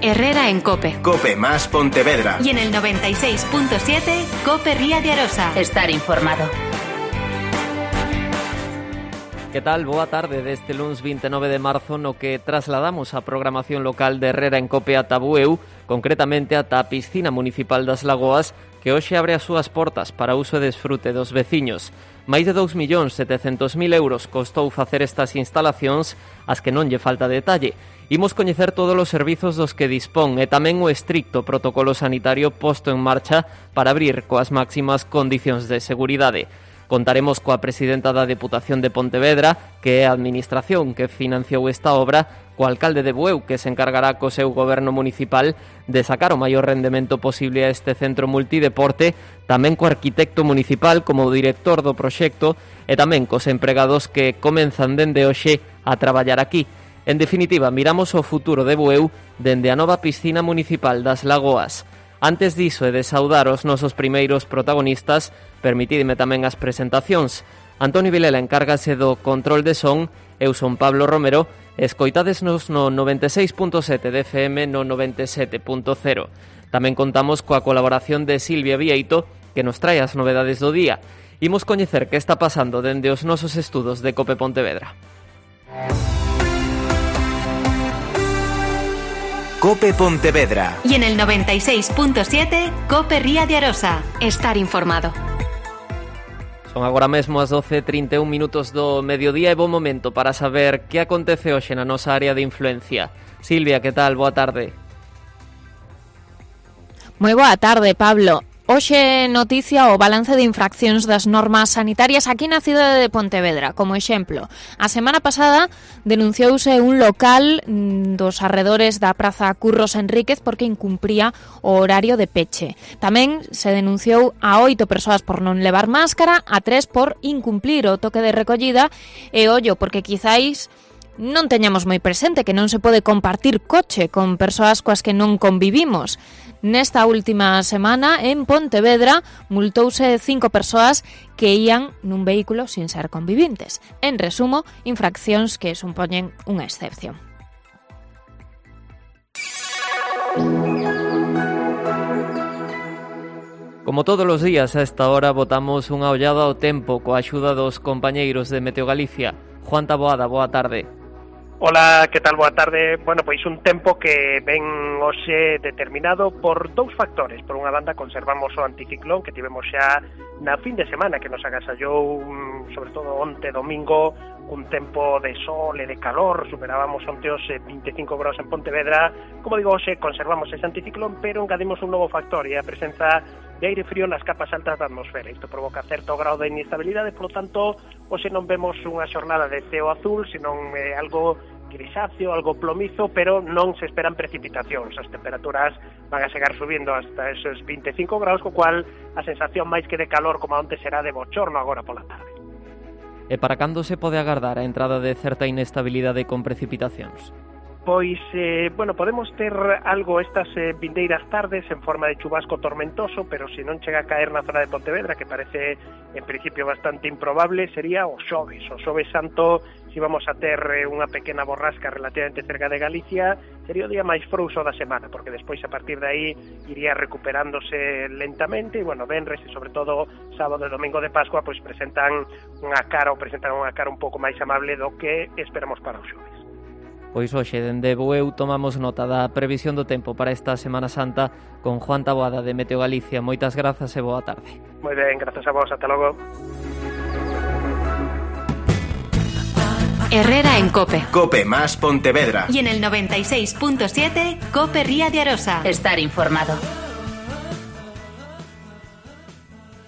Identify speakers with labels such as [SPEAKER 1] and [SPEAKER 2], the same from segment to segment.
[SPEAKER 1] Herrera en COPE.
[SPEAKER 2] COPE más Pontevedra.
[SPEAKER 1] Y en el 96.7, COPE Ría de Arosa.
[SPEAKER 3] Estar informado.
[SPEAKER 4] Que tal? Boa tarde deste luns 29 de marzo no que trasladamos a programación local de Herrera en COPE ata Bueu, concretamente ata a piscina municipal das Lagoas, que hoxe abre as súas portas para uso e desfrute dos veciños. Máis de 2.700.000 euros costou facer estas instalacións, as que non lle falta detalle. Imos coñecer todos os servizos dos que dispón e tamén o estricto protocolo sanitario posto en marcha para abrir coas máximas condicións de seguridade. Contaremos coa presidenta da Deputación de Pontevedra, que é a administración que financiou esta obra, co alcalde de Bueu, que se encargará co seu goberno municipal de sacar o maior rendemento posible a este centro multideporte, tamén co arquitecto municipal como director do proxecto e tamén cos empregados que comenzan dende hoxe a traballar aquí. En definitiva, miramos o futuro de Bueu dende a nova piscina municipal das Lagoas. Antes diso e de saudar os nosos primeiros protagonistas, permitidme tamén as presentacións. Antonio Vilela encárgase do control de son, eu son Pablo Romero, escoitadesnos no 96.7 de FM no 97.0. Tamén contamos coa colaboración de Silvia Vieito, que nos trae as novedades do día. Imos coñecer que está pasando dende os nosos estudos de COPE Pontevedra.
[SPEAKER 2] COPE Pontevedra.
[SPEAKER 1] Y en el 96.7, COPE Ría de Arosa. Estar informado.
[SPEAKER 4] Son agora mesmo as 12:31 minutos do mediodía e bo momento para saber que acontece hoxe na nosa área de influencia. Silvia, que tal? Boa tarde.
[SPEAKER 5] Moi boa tarde, Pablo. Hoxe noticia o balance de infraccións das normas sanitarias aquí na cidade de Pontevedra. Como exemplo, a semana pasada denunciouse un local dos arredores da Praza Curros Enríquez porque incumpría o horario de peche. Tamén se denunciou a 8 persoas por non levar máscara, a 3 por incumplir o toque de recollida e ollo, porque quizáis non teñamos moi presente que non se pode compartir coche con persoas coas que non convivimos. Nesta última semana, en Pontevedra, multouse 5 persoas que ían nun vehículo sin ser convivintes. En resumo, infraccións que supoñen unha excepción.
[SPEAKER 4] Como todos os días a esta hora botamos unha ollada ao tempo coa axuda dos compañeiros de Meteo Galicia. Juan Taboada, boa tarde.
[SPEAKER 6] Ola, que tal? Boa tarde. Bueno, pois un tempo que ven hoxe determinado por dous factores. Por unha banda, conservamos o anticiclón que tivemos xa na fin de semana, que nos agasallou, sobre todo onte domingo, un tempo de sol e de calor. Superábamos onte os 25 graus en Pontevedra. Como digo, hoxe conservamos ese anticiclón, pero engadimos un novo factor, e a presenza de aire frío nas capas altas da atmosfera. Isto provoca certo grau de inestabilidade, polo tanto, hoxe non vemos unha xornada de ceo azul, senón algo grisáceo, algo plomizo, pero non se esperan precipitacións. As temperaturas van a chegar subindo hasta esos 25 graus, co cual a sensación máis que de calor como antes será de bochorno agora pola tarde.
[SPEAKER 4] E para cando se pode agardar a entrada de certa inestabilidade con precipitacións?
[SPEAKER 6] Pois, podemos ter algo estas vindeiras tardes en forma de chubasco tormentoso, pero se non chega a caer na zona de Pontevedra, que parece en principio bastante improbable, sería o xoves santo. Si vamos a ter unha pequena borrasca relativamente cerca de Galicia, sería o día máis frouxo da semana, porque despois a partir de aí iría recuperándose lentamente, e venres e sobre todo sábado e domingo de Pascua pois presentan unha cara un pouco máis amable do que esperamos para os xoves.
[SPEAKER 4] Pois hoxe, dende Bueu, tomamos nota da previsión do tempo para esta Semana Santa con Juan Taboada de Meteo Galicia. Moitas grazas e boa tarde.
[SPEAKER 6] Moi ben, grazas a vos, ata logo.
[SPEAKER 1] Herrera en COPE.
[SPEAKER 2] COPE más Pontevedra.
[SPEAKER 1] Y en el 96.7, COPE Ría de Arosa.
[SPEAKER 3] Estar informado.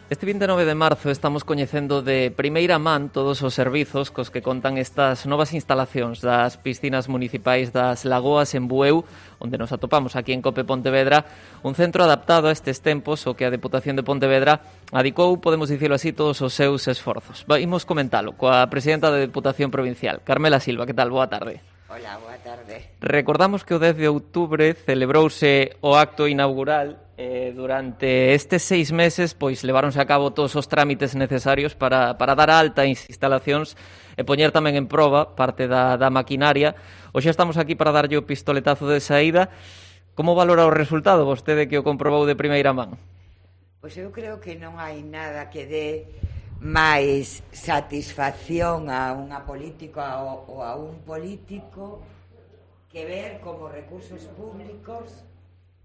[SPEAKER 4] Este 29 de marzo estamos coñecendo de primeira man todos os servizos cos que contan estas novas instalacións das piscinas municipais das Lagoas en Bueu, onde nos atopamos aquí en COPE Pontevedra, un centro adaptado a estes tempos o que a Deputación de Pontevedra adicou, podemos dicirlo así, todos os seus esforzos. Imos comentalo coa presidenta da Deputación Provincial, Carmela Silva. Que tal? Boa tarde.
[SPEAKER 7] Hola, boa tarde.
[SPEAKER 4] Recordamos que o 10 de outubro celebrouse o acto inaugural. Durante estes 6 meses pois leváronse a cabo todos os trámites necesarios para dar alta as instalacións e poñer tamén en proba parte da maquinaria. Hoxe estamos aquí para darlle o pistoletazo de saída. Como valora o resultado, vostede que o comprobou de primeira man?
[SPEAKER 3] Pois eu creo que non hai nada que dé máis satisfacción a unha política ou a un político que ver como recursos públicos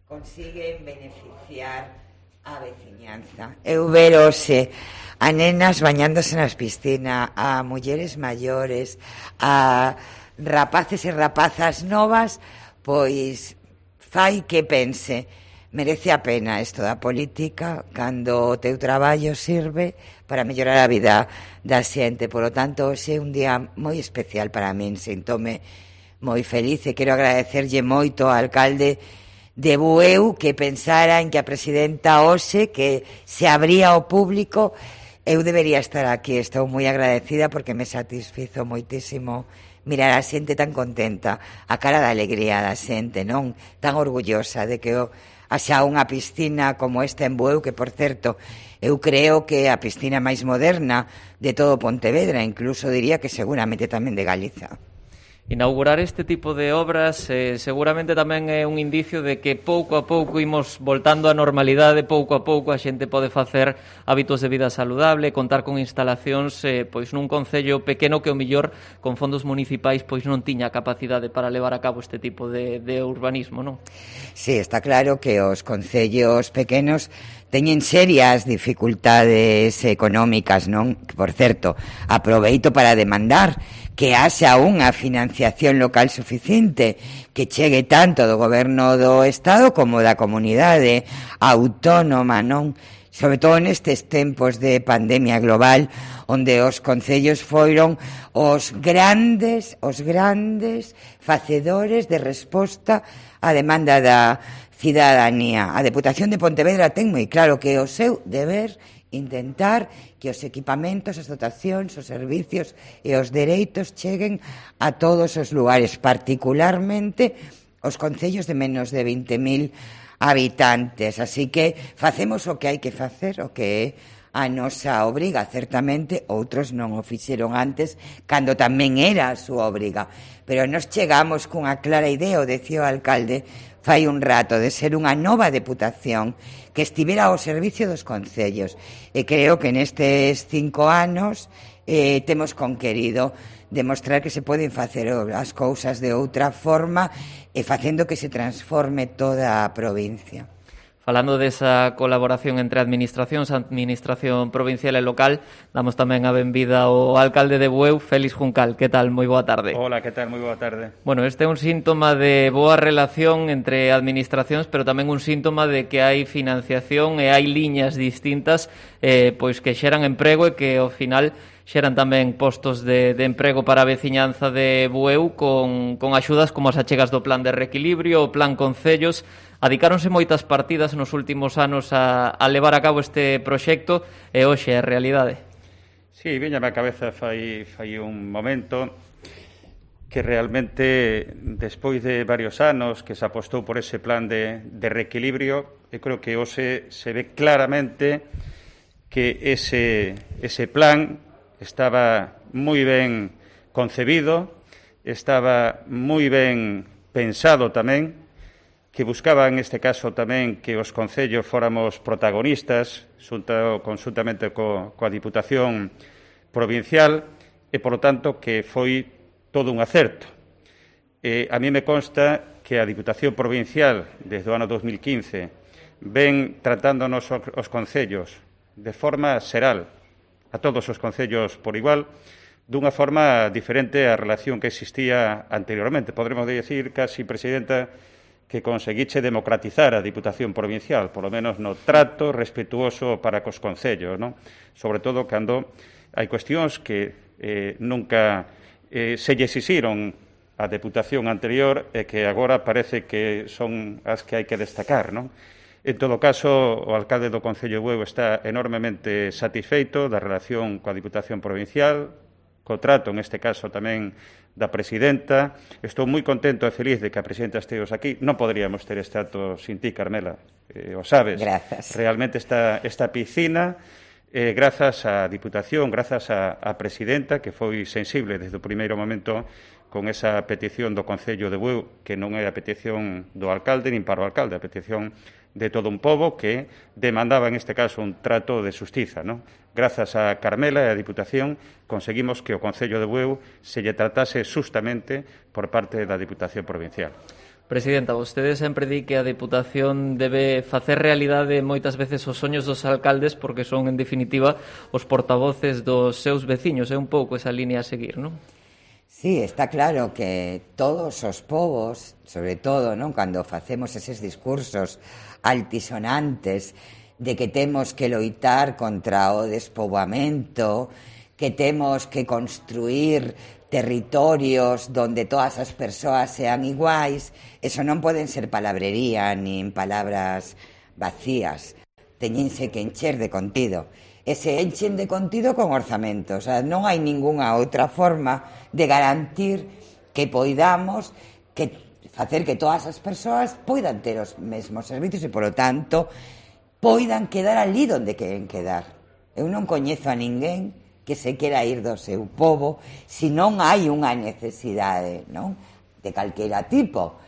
[SPEAKER 3] consiguen beneficiar a veciñanza. Eu verose a nenas bañándose nas piscinas, a mulleres maiores, a rapaces e rapazas novas, pois fai que pense, merece a pena isto da política cando o teu traballo sirve para mellorar a vida da xente. Por lo tanto, hoxe é un día moi especial para min, sintome moi feliz e quero agradecerlle moito ao alcalde de Bueu que pensara en que a presidenta hoxe que se abría ao público. Eu debería estar aquí, estou moi agradecida porque me satisfizo moitísimo mirar a xente tan contenta, a cara da alegría da xente, non? Tan orgullosa de que haxa unha piscina como esta en Bueu, que, por certo, eu creo que é a piscina máis moderna de todo Pontevedra, incluso diría que seguramente tamén de Galiza.
[SPEAKER 4] Inaugurar este tipo de obras seguramente tamén é un indicio de que pouco a pouco imos voltando á normalidade, pouco a pouco a xente pode facer hábitos de vida saludable, contar con instalacións pois nun concello pequeno que o millor con fondos municipais pois non tiña capacidade para levar a cabo este tipo de urbanismo, non?
[SPEAKER 3] Sí, está claro que os concellos pequenos teñen serias dificultades económicas, non? Por certo, aproveito para demandar que haxa unha financiación local suficiente que chegue tanto do goberno do Estado como da comunidade autónoma, non? Sobre todo nestes tempos de pandemia global, onde os concellos foron os grandes facedores de resposta á demanda da cidadanía. A Deputación de Pontevedra ten moi claro que é o seu deber intentar que os equipamentos, as dotacións, os servicios e os dereitos cheguen a todos os lugares, particularmente os concellos de menos de 20.000 habitantes. Así que facemos o que hai que facer, o que é a nosa obriga. Certamente outros non o fixeron antes, cando tamén era a súa obriga. Pero nos chegamos cunha clara idea, o decía o alcalde fai un rato, de ser unha nova deputación que estivera ao servicio dos concellos. E creo que nestes 5 anos temos conquerido demostrar que se poden facer as cousas de outra forma e facendo que se transforme toda a provincia.
[SPEAKER 4] Falando desa colaboración entre administracións, administración provincial e local, damos tamén a benvida ao alcalde de Bueu, Félix Juncal. Que tal? Moi boa tarde.
[SPEAKER 7] Hola, que tal? Moi boa tarde.
[SPEAKER 4] Bueno, este é un síntoma de boa relación entre administracións, pero tamén un síntoma de que hai financiación e hai liñas distintas pois que xeran emprego e que ao final xeran tamén postos de emprego para a veciñanza de Bueu con axudas como as achegas do Plan de Reequilibrio, o Plan Concellos. Adicáronse moitas partidas nos últimos anos a levar a cabo este proxecto e hoxe é a realidade.
[SPEAKER 7] Sí, viñame a cabeza fai un momento que realmente, despois de varios anos que se apostou por ese plan de reequilibrio, eu creo que hoxe se ve claramente que ese plan estaba moi ben concebido, estaba moi ben pensado tamén, que buscaba, en este caso, tamén que os concellos fóramos protagonistas, conjuntamente coa Diputación Provincial, e, polo tanto, que foi todo un acerto. A mí me consta que a Diputación Provincial, desde o ano 2015, ven tratándonos os concellos de forma xeral, a todos os concellos por igual, dunha forma diferente á relación que existía anteriormente. Podremos dicir, casi, Presidenta, que conseguiche democratizar a Diputación Provincial, polo menos no trato respetuoso para cos concellos, non? Sobre todo cando hai cuestións que nunca se lle exixiron a Deputación anterior e que agora parece que son as que hai que destacar, non? En todo caso, o alcalde do Concello de Bueu está enormemente satisfeito da relación coa Diputación Provincial, co trato, en este caso, tamén da presidenta. Estou moi contento e feliz de que a presidenta esteos aquí. Non poderíamos ter este acto sin ti, Carmela, o sabes.
[SPEAKER 3] Grazas.
[SPEAKER 7] Realmente esta piscina, grazas á Diputación, grazas á presidenta, que foi sensible desde o primeiro momento con esa petición do Concello de Bueu, que non é a petición do alcalde nin para o alcalde, a petición de todo un pobo que demandaba, en este caso, un trato de xustiza, non? Grazas a Carmela e a Diputación conseguimos que o Concello de Bueu se lle tratase xustamente por parte da Diputación Provincial.
[SPEAKER 4] Presidenta, vostede sempre di que a Deputación debe facer realidade moitas veces os soños dos alcaldes porque son, en definitiva, os portavoces dos seus veciños. É un pouco esa línea a seguir, non?
[SPEAKER 3] Sí, está claro que todos os povos, sobre todo, non, cando facemos eses discursos altisonantes de que temos que loitar contra o despoboamento, que temos que construir territorios donde todas as persoas sean iguais, eso non poden ser palabrería nin palabras vacías, teñense que encher de contido. E se enchen de contido con orzamentos. O sea, non hai ningunha outra forma de garantir que poidamos facer que todas as persoas poidan ter os mesmos servicios e, polo tanto, poidan quedar ali donde queren quedar. Eu non coñezo a ninguén que se quera ir do seu pobo se non hai unha necesidade, non? De calquera tipo.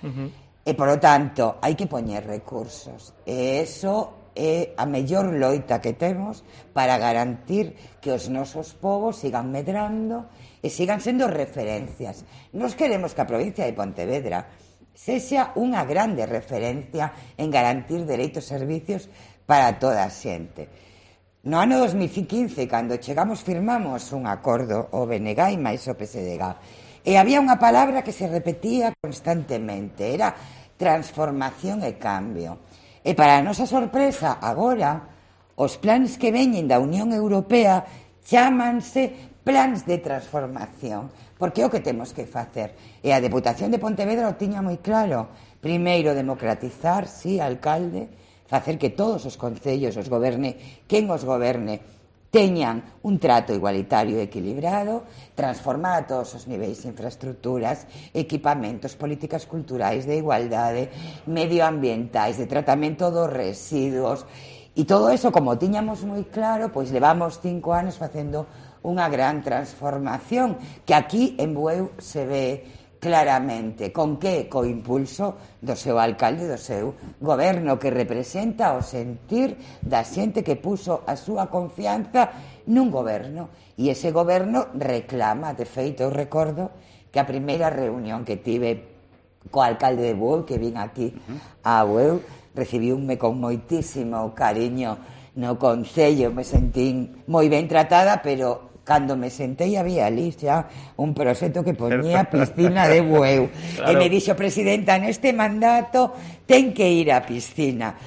[SPEAKER 3] E, polo tanto, hai que poñer recursos. E eso é a mellor loita que temos para garantir que os nosos povos sigan medrando e sigan sendo referencias. Nos queremos que a provincia de Pontevedra sexa unha grande referencia en garantir dereitos e servicios para toda a xente. No ano 2015, cando chegamos, firmamos un acordo o BNG e máis o PSDG. E había unha palabra que se repetía constantemente, era transformación e cambio. E para a nosa sorpresa, agora, os plans que veñen da Unión Europea chámanse plans de transformación, porque é o que temos que facer. E a Deputación de Pontevedra o tiña moi claro. Primeiro, democratizar, sí, alcalde, facer que todos os concellos os goberne, quen os goberne, teñan un trato igualitario e equilibrado, transformar a todos os niveis de infraestructuras, equipamentos, políticas culturais de igualdade, medioambientais, de tratamento dos residuos, e todo eso, como tiñamos moi claro, pois levamos 5 anos facendo unha gran transformación, que aquí en Bueu se ve claramente. Con que? Co impulso do seu alcalde, do seu goberno, que representa o sentir da xente que puso a súa confianza nun goberno. E ese goberno reclama, de feito, eu recordo que a primeira reunión que tive co alcalde de Bueu, que vin aquí a Bueu, recibiume con moitísimo cariño no concello, me sentín moi ben tratada, pero cando me sentei había ali xa un proxecto que poñía piscina de Bueu. Claro. E me dixo, presidenta, neste mandato ten que ir a piscina.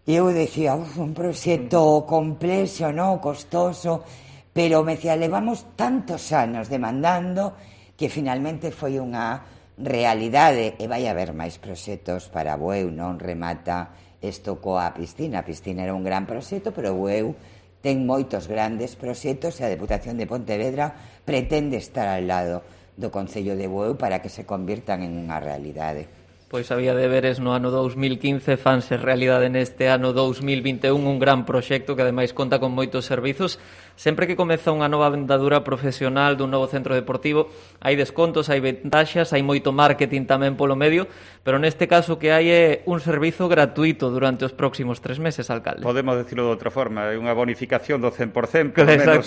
[SPEAKER 3] E eu dicía, un proxecto complexo, non, costoso, pero me decía, levamos tantos anos demandando que finalmente foi unha realidade, e vai haber máis proxectos para Bueu, non remata isto coa piscina. A piscina era un gran proxecto, pero Bueu ten moitos grandes proxectos e a Deputación de Pontevedra pretende estar ao lado do Concello de Bueu para que se convirtan en unha realidade.
[SPEAKER 4] Pois había deberes no ano 2015, fanse realidade neste ano 2021, un gran proxecto que ademais conta con moitos servizos. Sempre que comeza unha nova andadura profesional dun novo centro deportivo, hai descontos, hai ventaxas, hai moito marketing tamén polo medio, pero neste caso que hai é un servizo gratuito durante os próximos 3 meses, alcalde.
[SPEAKER 7] Podemos decirlo de outra forma, é unha bonificación do 100%,
[SPEAKER 4] polo menos,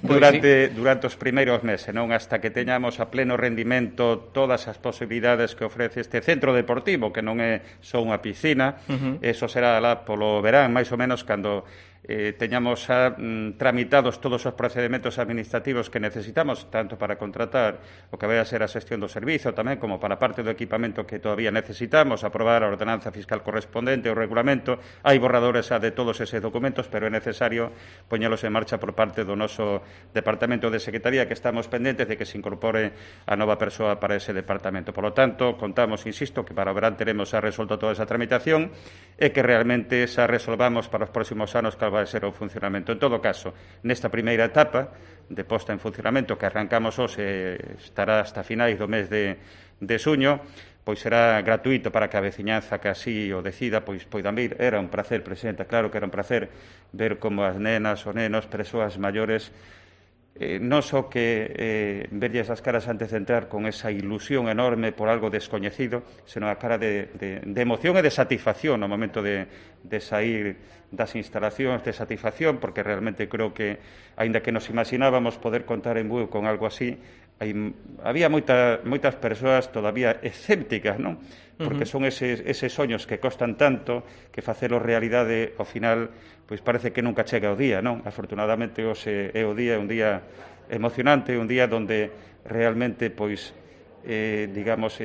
[SPEAKER 7] durante os primeiros meses, non, hasta que teñamos a pleno rendimento todas as posibilidades que ofrece este centro deportivo, que non é só unha piscina. Eso será lá polo verán, máis ou menos, cando teñamos tramitados todos os procedementos administrativos que necesitamos, tanto para contratar o que vai a ser a xestión do servizo, tamén como para parte do equipamento que todavía necesitamos, aprobar a ordenanza fiscal correspondente, o regulamento. Hai borradores de todos eses documentos, pero é necesario poñelos en marcha por parte do noso Departamento de Secretaría, que estamos pendentes de que se incorpore a nova persoa para ese departamento. Por lo tanto, contamos, insisto, que para o verán teremos xa resolto toda esa tramitación e que realmente xa resolvamos para os próximos anos cal vai ser o funcionamento. En todo caso, nesta primeira etapa de posta en funcionamento que arrancamos hoxe, estará hasta finais do mes de xuño, pois será gratuito para que a veciñanza que así o decida, pois poidan vir. Era un placer, presidenta, claro que era un placer ver como as nenas, os nenos, persoas maiores non só que verlles as caras antes de entrar con esa ilusión enorme por algo descoñecido, senón a cara de emoción e de satisfacción no momento de sair das instalacións, de satisfacción, porque realmente creo que, aínda que nos imaginábamos poder contar en Bueu con algo así, había moitas persoas todavía escépticas, non? Porque son eses soños que costan tanto que facelo realidade, ao final, pois parece que nunca chega o día, non? Afortunadamente, hoxe é o día, un día emocionante, un día onde realmente, pois, digamos,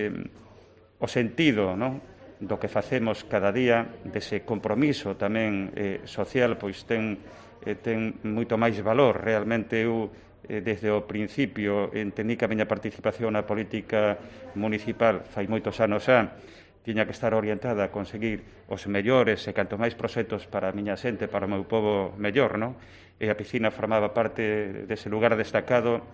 [SPEAKER 7] o sentido, non? Do que facemos cada día, dese compromiso tamén social, pois ten moito máis valor. Realmente eu, desde o principio, entendí que a miña participación na política municipal fai moitos anos xa tiña que estar orientada a conseguir os mellores e canto máis proxectos para a miña xente, para o meu povo mellor, non? E a piscina formaba parte dese lugar destacado,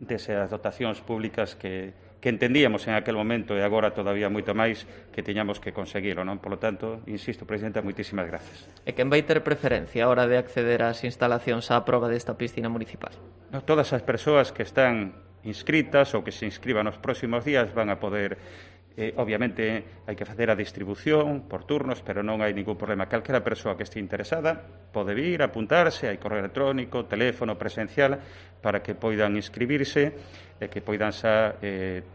[SPEAKER 7] desas dotacións públicas que entendíamos en aquel momento e agora todavía moito máis que tiñamos que conseguilo, non? Por lo tanto, insisto, Presidenta, moitísimas gracias.
[SPEAKER 4] E quen vai ter preferencia a hora de acceder ás instalacións á proba desta piscina municipal?
[SPEAKER 7] No, todas as persoas que están inscritas ou que se inscriban nos próximos días van a poder. Obviamente hai que facer a distribución por turnos, pero non hai ningún problema. Calquera persoa que este interesada pode vir, apuntarse, hai correo electrónico, teléfono, presencial, para que poidan inscribirse e que poidan xa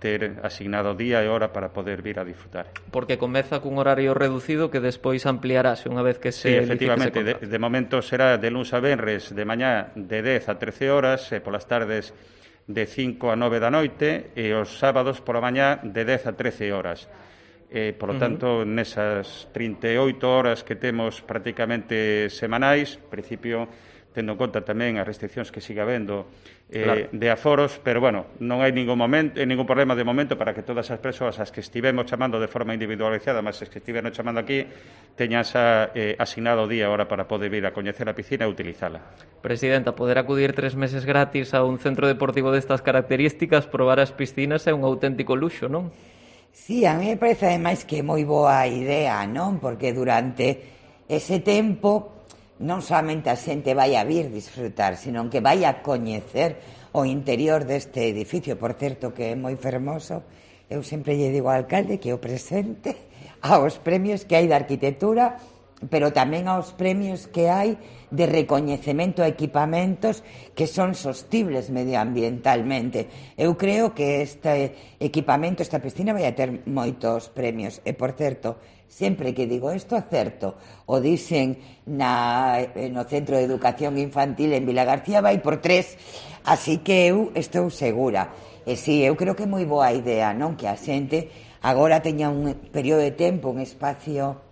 [SPEAKER 7] ter asignado día e hora para poder vir a disfrutar.
[SPEAKER 4] Porque comeza cun horario reducido que despois ampliarase unha vez que se...
[SPEAKER 7] Sí, efectivamente, de momento será de luns a venres de mañá de 10 a 13 horas e polas tardes de 5 a 9 da noite e os sábados pola mañá de 10 a 13 horas. Por lo tanto, nesas 38 horas que temos prácticamente semanais, en principio, tendo en conta tamén as restriccións que siga habendo de aforos, pero, bueno, non hai ningún problema de momento para que todas as persoas as que estivemos chamando de forma individualizada, mas as que estiveron chamando aquí, teñan xa asignado día e hora para poder vir a coñecer a piscina e utilizala.
[SPEAKER 4] Presidenta, poder acudir 3 meses gratis a un centro deportivo destas características, probar as piscinas é un auténtico luxo, non?
[SPEAKER 3] Sí, a mí me parece ademais que é moi boa idea, non? Porque durante ese tempo non somente a xente vai a vir disfrutar, sino que vai a coñecer o interior deste edificio. Por certo, que é moi fermoso. Eu sempre lle digo ao alcalde que o presente aos premios que hai de arquitectura, pero tamén aos premios que hai de recoñecemento a equipamentos que son sostibles medioambientalmente. Eu creo que este equipamento, esta piscina, vai a ter moitos premios. E, por certo, sempre que digo isto, acerto. O dicen no Centro de Educación Infantil en Vila García, vai por 3, así que eu estou segura. E si, eu creo que é moi boa idea, non? Que a xente agora teña un período de tempo, un espacio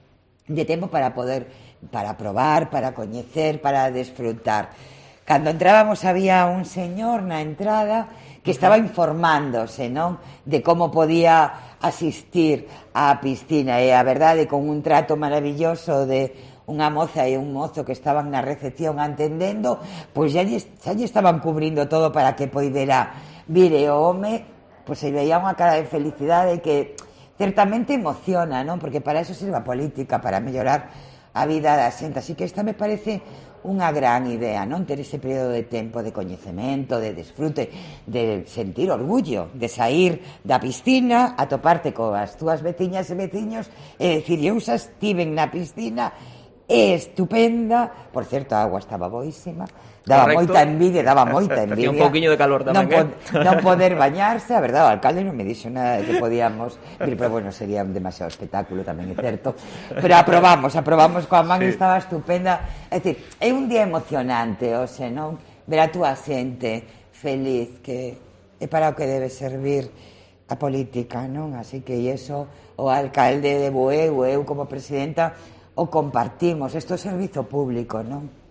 [SPEAKER 3] de tempo para probar, para coñecer, para desfrutar. Cando entrábamos había un señor na entrada que estaba informándose, non? De como podía asistir á piscina, e a verdade, con un trato maravilloso de unha moza e un mozo que estaban na recepción atendendo, pois xa lle estaban cubrindo todo para que poidera vir, e o home, pois se veía unha cara de felicidade que certamente emociona, non? Porque para eso sirve a política, para mellorar a vida da xente. Así que esta me parece unha gran idea, non? Ter ese período de tempo de coñecemento, de disfrute, de sentir orgullo, de sair da piscina, a toparte coas túas veciñas e veciños e dicir, eu xa estiven na piscina, é estupenda. Por certo, a agua estaba boísima, daba moita envidia.
[SPEAKER 4] Hacía un pouquiño de calor tamén,
[SPEAKER 3] non poder bañarse, a verdade, o alcalde non me dixo nada de que podíamos vir, pero bueno, sería un demasiado espectáculo, tamén é certo, pero aprobamos coa man, sí. Estaba estupenda. É dicir, é un día emocionante, hoxe, non? Ver a túa xente feliz, que é para o que debe servir a política, non? Así que iso, o alcalde de Bueu, eu como presidenta, o compartimos. Isto é servizo público, non?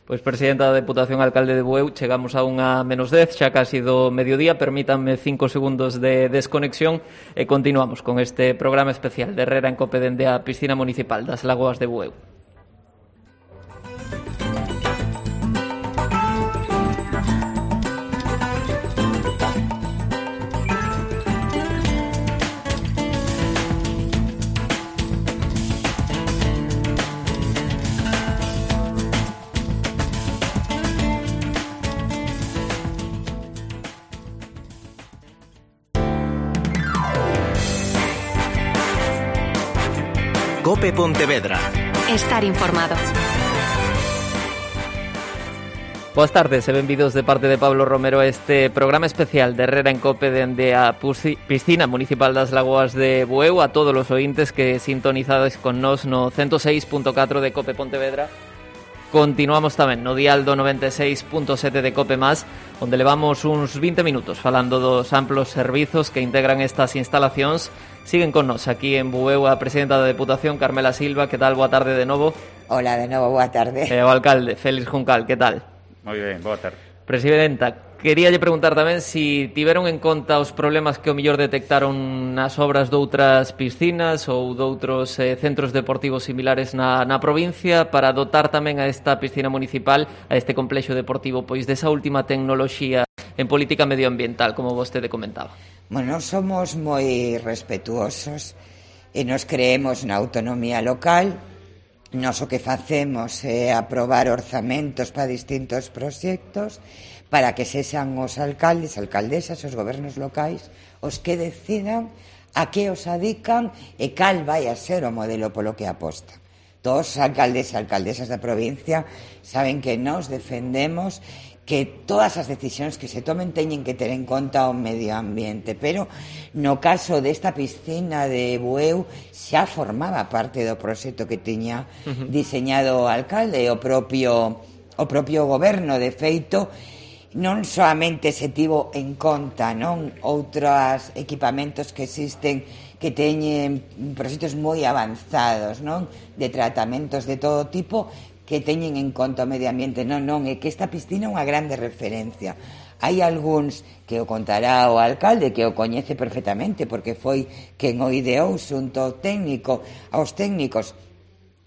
[SPEAKER 4] Pois, presidenta da Deputación, alcalde de Bueu, chegamos a 1:10, xa casi do mediodía. Permítanme 5 segundos de desconexión e continuamos con este programa especial de Herrera en Cope dende a piscina municipal das Lagoas de Bueu.
[SPEAKER 2] Cope Pontevedra.
[SPEAKER 1] Estar informado.
[SPEAKER 4] Boas tardes e benvidos de parte de Pablo Romero a este programa especial de Herrera en Cope dende a Piscina Municipal das Lagoas de Bueu, a todos os ointes que sintonizades con nós no 106.4 de Cope Pontevedra. Continuamos tamén no dial do 96.7 de Cope Más, onde levamos uns 20 minutos falando dos amplos servizos que integran estas instalacións. Siguen con nós aquí en Bueu a presidenta da Deputación, Carmela Silva. Que tal? Boa tarde de novo.
[SPEAKER 3] Hola, de novo, boa tarde.
[SPEAKER 4] E o alcalde, Félix Juncal. Que tal?
[SPEAKER 7] Moi ben, boa tarde.
[SPEAKER 4] Presidenta, queríalle preguntar tamén si tiveron en conta os problemas que o mellor detectaron nas obras doutras piscinas ou doutros centros deportivos similares na provincia para dotar tamén a esta piscina municipal, a este complexo deportivo, pois desa última tecnoloxía en política medioambiental, como vostede comentaba.
[SPEAKER 3] Bueno, somos moi respetuosos e nos creemos na autonomía local. Nos o que facemos é aprobar orzamentos para distintos proxectos para que sexan os alcaldes, alcaldesas, os gobernos locais os que decidan a que os adican e cal vai a ser o modelo polo que aposta. Todos os alcaldes e alcaldesas da provincia saben que nos defendemos que todas as decisións que se tomen teñen que ter en conta o medio ambiente, pero no caso desta piscina de Bueu xa formaba parte do proxecto que tiña diseñado o alcalde e o propio goberno. De feito, non soamente se tivo en conta, non, outros equipamentos que existen que teñen proxectos moi avanzados, non, de tratamentos de todo tipo, que teñen en conta o medio ambiente. Non, é que esta piscina é unha grande referencia. Hai algúns que o contará o alcalde, que o coñece perfectamente, porque foi quen o ideou xunto ao técnico, aos técnicos.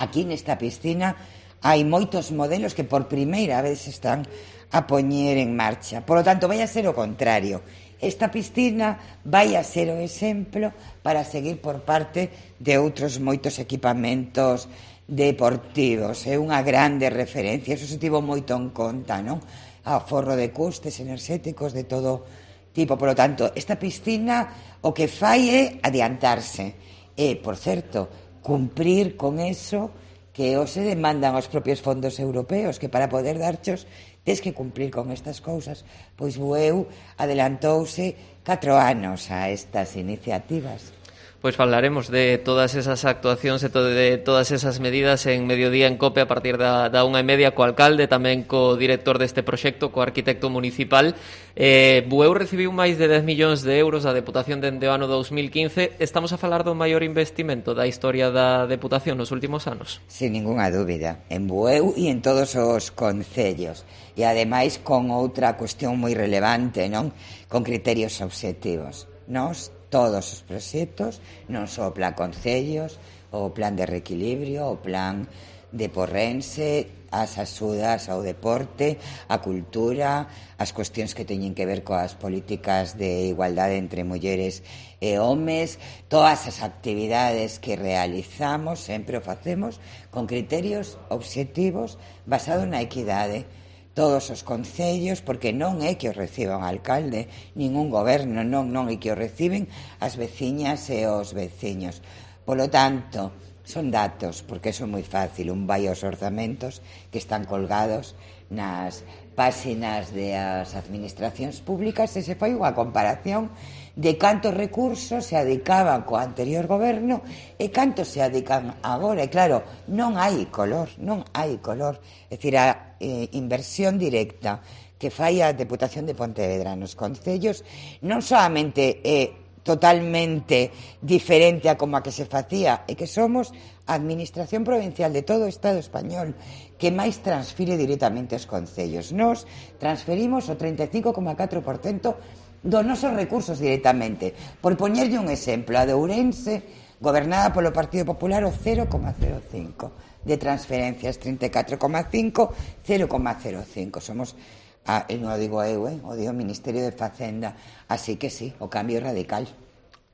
[SPEAKER 3] Aquí nesta piscina hai moitos modelos que por primeira vez están a poñer en marcha. Por lo tanto, vai a ser o contrario. Esta piscina vai a ser o exemplo para seguir por parte de outros moitos equipamentos deportivos. É unha grande referencia, eso se tivo moito en conta, non? Aforro de custes enerxéticos de todo tipo. Por lo tanto, esta piscina o que fai é adiantarse e, por certo, cumprir con eso que os se demandan os propios fondos europeos, que para poder darchos tes que cumplir con estas cousas. Pois Bueu adelantouse 4 anos a estas iniciativas.
[SPEAKER 4] Pois falaremos de todas esas actuacións e de todas esas medidas en Mediodía en Cope a partir da 1:30 co alcalde, tamén co director deste proxecto, co arquitecto municipal. Bueu recibiu máis de 10 millóns de euros da Deputación dende o ano 2015. Estamos a falar do maior investimento da historia da Deputación nos últimos anos.
[SPEAKER 3] Sin ninguna dúbida, en Bueu e en todos os concellos. E ademais con outra cuestión moi relevante, non? Con criterios obxectivos. Todos os proxectos, non só o plan concellos, o plan de reequilibrio, o plan de Porrense, as axudas ao deporte, a cultura, as cuestións que teñen que ver coas políticas de igualdade entre mulleres e homes, todas as actividades que realizamos, sempre o facemos con criterios obxectivos basados na equidade. Todos os concellos, porque non é que os reciba un alcalde, ningún goberno, non é que os reciben as veciñas e os veciños. Polo tanto, son datos, porque eso é moi fácil. Un vai aos orzamentos que están colgados nas páxinas das administracións públicas e se fai unha comparación de cantos recursos se adicaban co anterior goberno e cantos se adican agora. E claro, non hai color. É dicir, a inversión directa que fai a Deputación de Pontevedra nos concellos non solamente é totalmente diferente a como a que se facía, é que somos a administración provincial de todo o Estado español que máis transfire directamente aos concellos. Nos transferimos o 35,4% dos nosos recursos directamente. Por poñerlle un exemplo, a de Ourense, gobernada polo Partido Popular, o 0,05% de transferencias, 34,5%, 0,05%. Somos, non o digo eu, o digo o Ministerio de Facenda. Así que sí, o cambio é radical.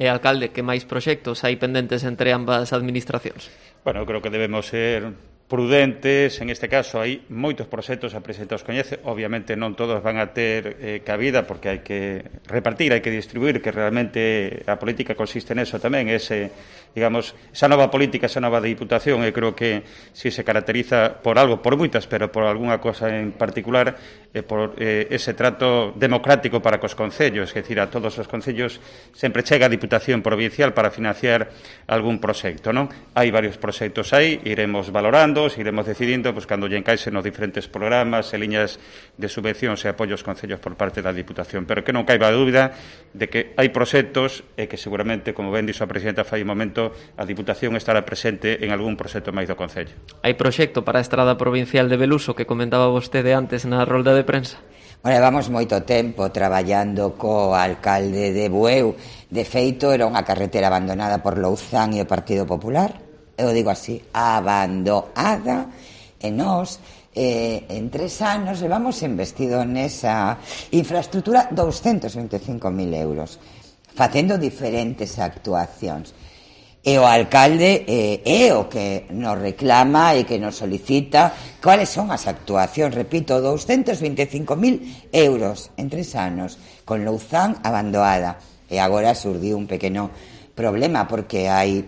[SPEAKER 4] E, alcalde, que máis proxectos hai pendentes entre ambas administracións?
[SPEAKER 7] Bueno, creo que debemos ser prudentes. En este caso hai moitos proxectos, a presidenta os coñece, obviamente non todos van a ter cabida porque hai que repartir, hai que distribuir, que realmente a política consiste neso tamén, esa nova política, esa nova diputación, e creo que si se caracteriza por algo, por moitas, pero por algunha cosa en particular, por ese trato democrático para cos concellos, é dicir, a todos os concellos sempre chega a Diputación Provincial para financiar algún proxecto, non? Hai varios proxectos aí, iremos valorando, iremos decidindo, pois, cando lle encaixen os diferentes programas e liñas de subvencións e apoios concellos por parte da Diputación, pero que non caiba dúbida de que hai proxectos e que seguramente, como ben dixo a presidenta fai un momento, a Diputación estará presente en algún proxecto máis do Concello.
[SPEAKER 4] Hai proxecto para a Estrada Provincial de Beluso que comentaba vostede antes na rolda de prensa?
[SPEAKER 3] Bueno, levamos moito tempo traballando co alcalde de Bueu. De feito, era unha carretera abandonada por Louzán e o Partido Popular. Eu digo así, abandonada, e nós en 3 anos levamos investido nesa infraestructura 225.000 euros, facendo diferentes actuacións. E o alcalde é o que nos reclama e que nos solicita cuáles son as actuacións, repito, 225.000 euros en 3 anos, con Louzán abandonada. E agora surdiu un pequeno problema porque hai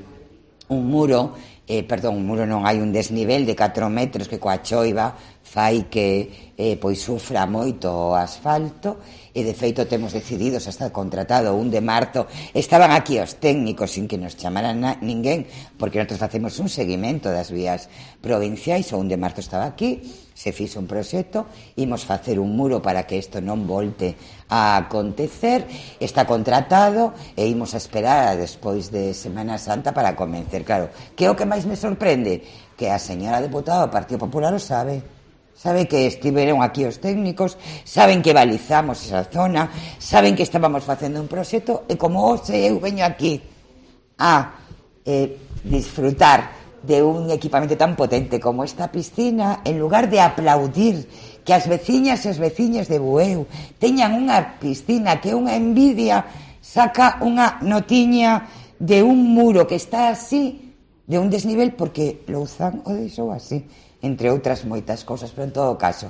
[SPEAKER 3] un muro, hai un desnivel de 4 metros que coa choiva fai que pois sufra moito o asfalto, e de feito temos decidido, xa está contratado 1 de marzo, estaban aquí os técnicos sin que nos chamaran ninguén, porque nosotros facemos un seguimento das vías provinciais. O 1 de marzo estaba aquí, se fixo un proxecto, imos facer un muro para que isto non volte a acontecer, está contratado e imos a esperar a despois de Semana Santa para convencer. Claro, que é o que máis me sorprende? Que a señora deputada do Partido Popular o sabe que estiveron aquí os técnicos, saben que balizamos esa zona, saben que estábamos facendo un proxecto, e como hoxe eu veño aquí a disfrutar de un equipamento tan potente como esta piscina, en lugar de aplaudir que as veciñas e os veciños de Bueu teñan unha piscina que é unha envidia, saca unha notiña de un muro que está así, de un desnivel, porque Louzán o deixou así, entre outras moitas cousas. Pero en todo caso,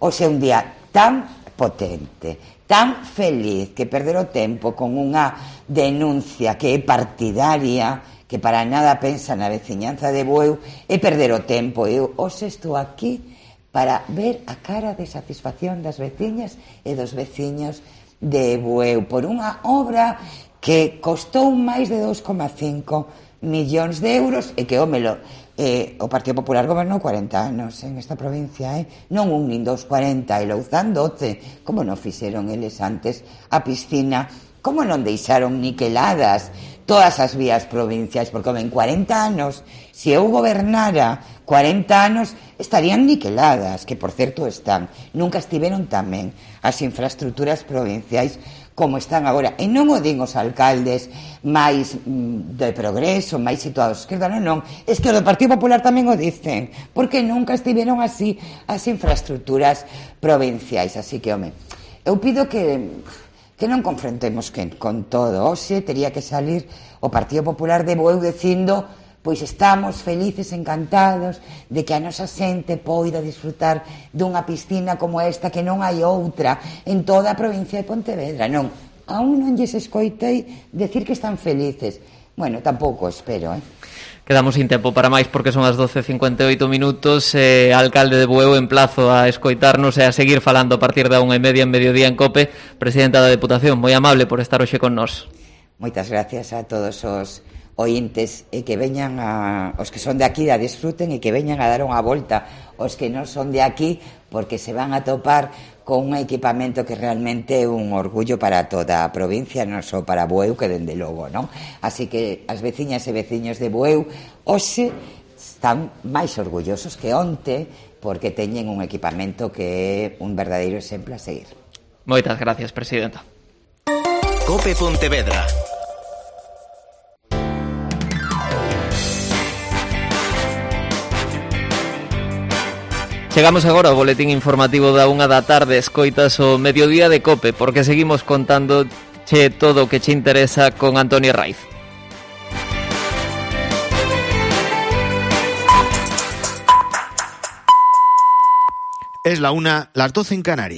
[SPEAKER 3] hoxe é un día tan potente, tan feliz, que perder o tempo con unha denuncia que é partidaria, que para nada pensa na veciñanza de Bueu, é perder o tempo. Eu hoxe estou aquí para ver a cara de satisfacción das veciñas e dos veciños de Bueu por unha obra que costou máis de 2,5 millóns de euros e que, o Partido Popular gobernou 40 anos en esta provincia, non un nin dos, 40, e Louzán 12. Como non fixeron eles antes a piscina? Como non deixaron niqueladas todas as vías provinciais? Porque en 40 anos, se eu gobernara 40 anos, estarían niqueladas, que por certo están. Nunca estiveron tamén as infraestructuras provinciais como están agora. E non o din os alcaldes máis de progreso, máis situados a esquerda, non. Es que o do Partido Popular tamén o dicen, porque nunca estiveron así as infraestructuras provinciais. Así que, eu pido que non confrontemos con todo. Hoxe tería que salir o Partido Popular de Bueu dicindo: pois estamos felices, encantados de que a nosa xente poida disfrutar dunha piscina como esta, que non hai outra en toda a provincia de Pontevedra. Non, aún non lles escoitei decir que están felices. Bueno, tampouco espero,
[SPEAKER 4] Quedamos sin tempo para máis porque son as 12:58 minutos. Alcalde de Bueu, emplazo a escoitarnos e a seguir falando a partir da 1:30 en Mediodía en COPE. Presidenta da Deputación, moi amable por estar hoxe con nós.
[SPEAKER 3] Moitas gracias a todos os ointes, e que veñan os que son de aquí a disfruten, e que veñan a dar unha volta os que non son de aquí, porque se van a topar con un equipamento que realmente é un orgullo para toda a provincia, non só para Bueu, que dende logo, non? Así que as veciñas e veciños de Bueu hoxe están máis orgullosos que onte, porque teñen un equipamento que é un verdadeiro exemplo a seguir.
[SPEAKER 4] Moitas gracias, presidenta.
[SPEAKER 2] COPE Pontevedra.
[SPEAKER 4] Chegamos agora ao boletín informativo da 1 da tarde. Escoitas o Mediodía de COPE, porque seguimos contando todo o que che interesa con Antonio Raiz.
[SPEAKER 8] Es la 1, las 12 en Canarias.